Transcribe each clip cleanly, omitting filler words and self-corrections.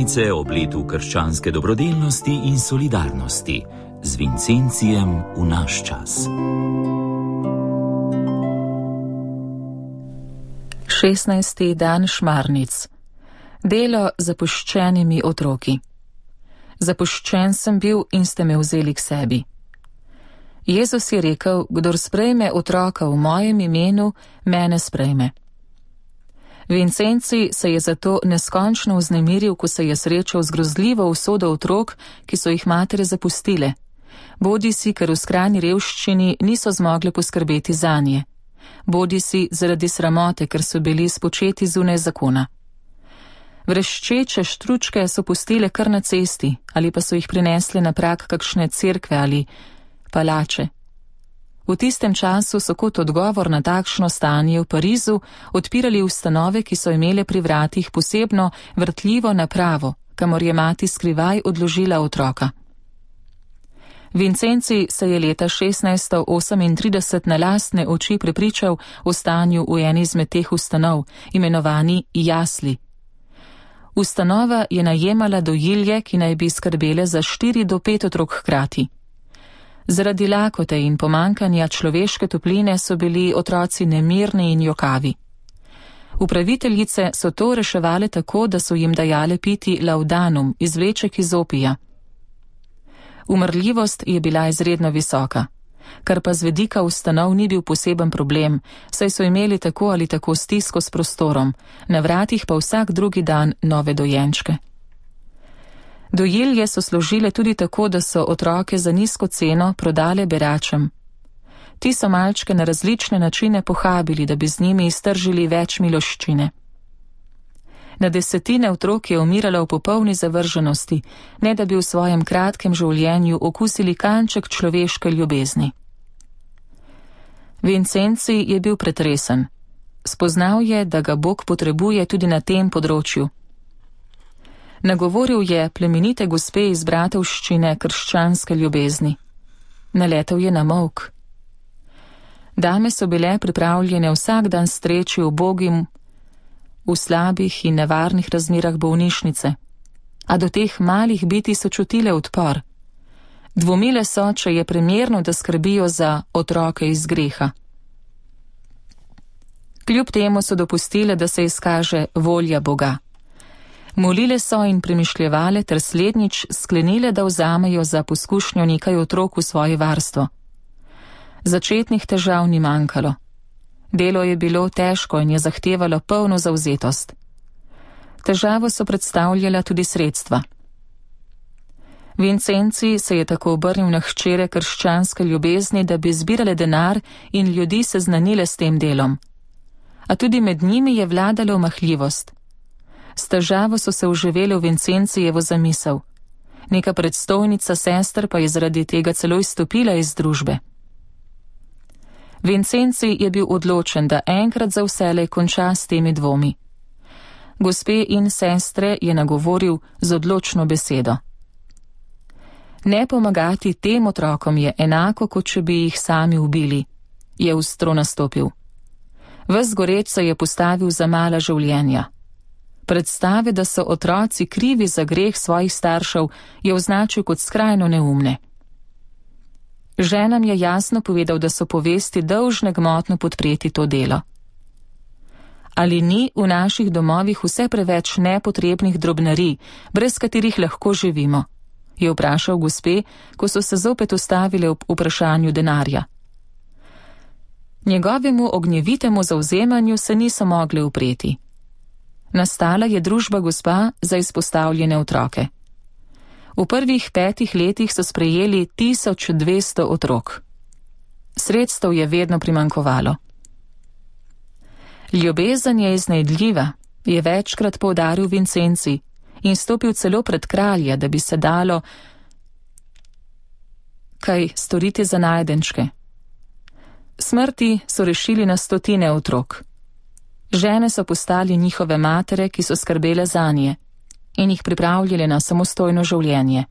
počitnice ob letu krščanske dobrodelnosti in solidarnosti z Vincencijem v naš čas. 16. dan Šmarnic. Delo z zapuščenimi otroki. Zapuščen sem bil in ste me vzeli k sebi. Jezus je rekel, kdor sprejme otroka v mojem imenu, mene sprejme. Vincenci se je zato neskončno vznemiril, ko se je srečal z grozljivo usodo otrok, ki so jih matere zapustile, bodisi ker v skrajni revščini niso zmogle poskrbeti zanje, bodisi zaradi sramote, ker so bili spočeti zunaj zakona. Vreščeče štručke so pustile kar na cesti ali pa so jih prinesle na prag kakšne cerkve ali palače. V tistem času so kot odgovor na takšno stanje v Parizu odpirali ustanove, ki so imele pri vratih posebno vrtljivo napravo, kamor je mati skrivaj odložila otroka. Vincenci se je leta 1638 na lastne oči prepričal o stanju v eni izmed teh ustanov, imenovani jasli. Ustanova je najemala dojilje, ki naj bi skrbele za 4 do 5 otrok hkrati. Zaradi lakote in pomankanja človeške topline so bili otroci nemirni in jokavi. Upraviteljice so to reševale tako, da so jim dajale piti laudanum, izvleček iz opija. Umrljivost je bila izredno visoka, kar pa z vidika ustanov ni bil poseben problem, saj so imeli tako ali tako stisko s prostorom, na vratih pa vsak drugi dan nove dojenčke. Dojilje so služile tudi tako, da so otroke za nizko ceno prodale beračem. Ti so malčke na različne načine pohabili, da bi z njimi iztržili več miloščine. Na desetine otrok je umiralo v popolni zavrženosti, ne da bi v svojem kratkem življenju okusili kanček človeške ljubezni. Vincenci je bil pretresen. Spoznal je, da ga Bog potrebuje tudi na tem področju. Nagovoril je plemenite gospe iz bratovščine krščanske ljubezni. Naletel je na molk. Dame so bile pripravljene vsak dan streči ubogim v slabih in nevarnih razmerah bolnišnice, a do teh malih biti so čutile odpor. Dvomile so, če je primerno, da skrbijo za otroke iz greha. Kljub temu so dopustile, da se izkaže volja Boga. Molile so in premišljevale ter slednjič sklenile, da vzamejo za poskušnjo nekaj otrok v svoje varstvo. Začetnih težav ni manjkalo. Delo je bilo težko in je zahtevalo polno zavzetost. Težavo so predstavljala tudi sredstva. Vincenci se je tako obrnil na hčere krščanske ljubezni, da bi zbirale denar in ljudi seznanile s tem delom. A tudi med njimi je vladala omahljivost. S težavo so se vživele v Vincencijevo zamisel. Neka predstojnica sester pa je zaradi tega celo izstopila iz družbe. Vincenci je bil odločen, da enkrat za vselej konča s temi dvomi. Gospe in sestre je nagovoril z odločno besedo. Ne pomagati tem otrokom je enako, kot če bi jih sami ubili, je ostro nastopil. Ves goreč se je postavil za mala življenja. Predstave, da so otroci krivi za greh svojih staršev, je označil kot skrajno neumne. Ženam je jasno povedal, da so povesti dolžne gmotno podpreti to delo. Ali ni v naših domovih vse preveč nepotrebnih drobnarij, brez katerih lahko živimo? Je vprašal gospe, ko so se zopet ustavile ob vprašanju denarja. Njegovemu ognjevitemu zavzemanju se niso mogli upreti. Nastala je družba gospa za izpostavljene otroke. V prvih 5 letih so sprejeli 1200 otrok. Sredstev je vedno primanjkovalo. Ljubezen je iznajdljiva, je večkrat poudaril Vincenci in stopil celo pred kralja, da bi se dalo kaj storiti za najdenčke. Smrti so rešili na stotine otrok. Žene so postali njihove matere, ki so skrbele zanje in jih pripravljale na samostojno življenje.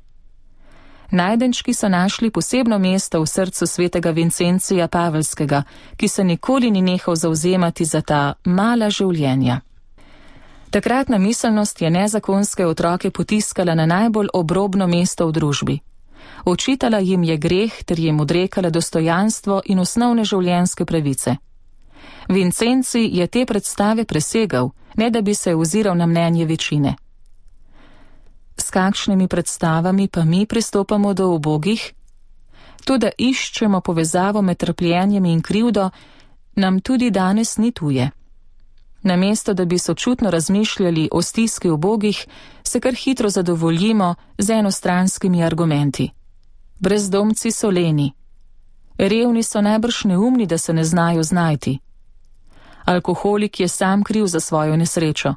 Najdenčki so našli posebno mesto v srcu svetega Vincencija Pavelskega, ki se nikoli ni nehal zavzemati za ta mala življenja. Takratna miselnost je nezakonske otroke potiskala na najbolj obrobno mesto v družbi. Očitala jim je greh ter jim odrekala dostojanstvo in osnovne življenjske pravice. Vincenzi je te predstave presegal, ne da bi se oziral na mnenje večine. S kakšnimi predstavami pa mi pristopamo do ubogih? To, da iščemo povezavo med trpljenjem in krivdo, nam tudi danes ni tuje. Namesto, da bi sočutno razmišljali o stiski ubogih, se kar hitro zadovoljimo z enostranskimi argumenti. Brezdomci so leni. Revni so najbrž neumni, da se ne znajo znajti. Alkoholik je sam kriv za svojo nesrečo.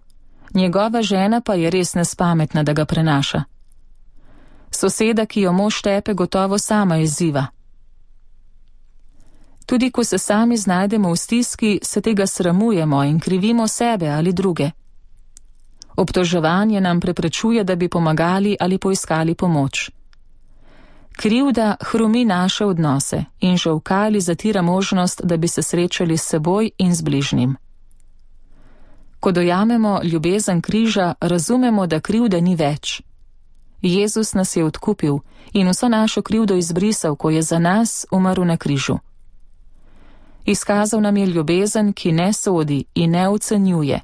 Njegova žena pa je res nespametna, da ga prenaša. Soseda, ki jo mož tepe, gotovo sama izziva. Tudi ko se sami znajdemo v stiski, se tega sramujemo in krivimo sebe ali druge. Obtoževanje nam preprečuje, da bi pomagali ali poiskali pomoč. Krivda hromi naše odnose in žolkali zatira možnost, da bi se srečali s seboj in z bližnjim. Ko dojamemo ljubezen križa, razumemo, da krivde ni več. Jezus nas je odkupil in vso našo krivdo izbrisal, ko je za nas umrl na križu. Izkazal nam je ljubezen, ki ne sodi in ne ocenjuje,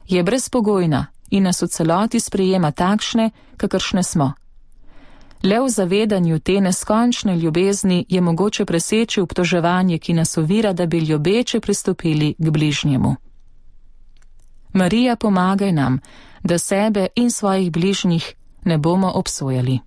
je brezpogojna in nas v celoti sprejema takšne, kakršne smo. Le v zavedanju te neskončne ljubezni je mogoče preseči obtoževanje, ki nas ovira, da bi ljubeče pristopili k bližnjemu. Marija, pomagaj nam, da sebe in svojih bližnjih ne bomo obsojali.